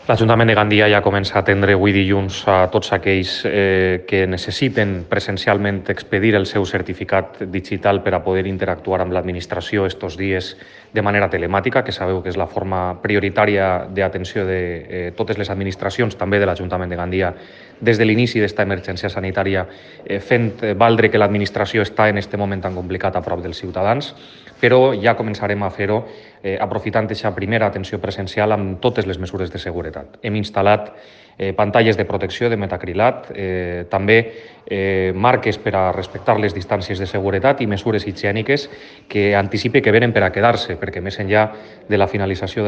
L'Ajuntament de Gandia ja comença a atendre avui dilluns a tots aquells que necessiten presencialment expedir el seu certificat digital per a poder interactuar amb l'administració estos dies de manera telemàtica, que sabeu que és la forma prioritària d'atenció de totes les administracions, també de l'Ajuntament de Gandia, des de l'inici d'esta emergència sanitària, fent valdre que l'administració està en aquest moment tan complicat a prop dels ciutadans, però ja començarem a fer-ho aprofitant aquesta primera atenció presencial amb totes les mesures de seguretat. Hem instal·lat pantalles de protecció de metacrilat, també marques per a respectar les distàncies de seguretat i mesures higièniques que anticipe que venen per a quedar-se, perquè més enllà de la finalització de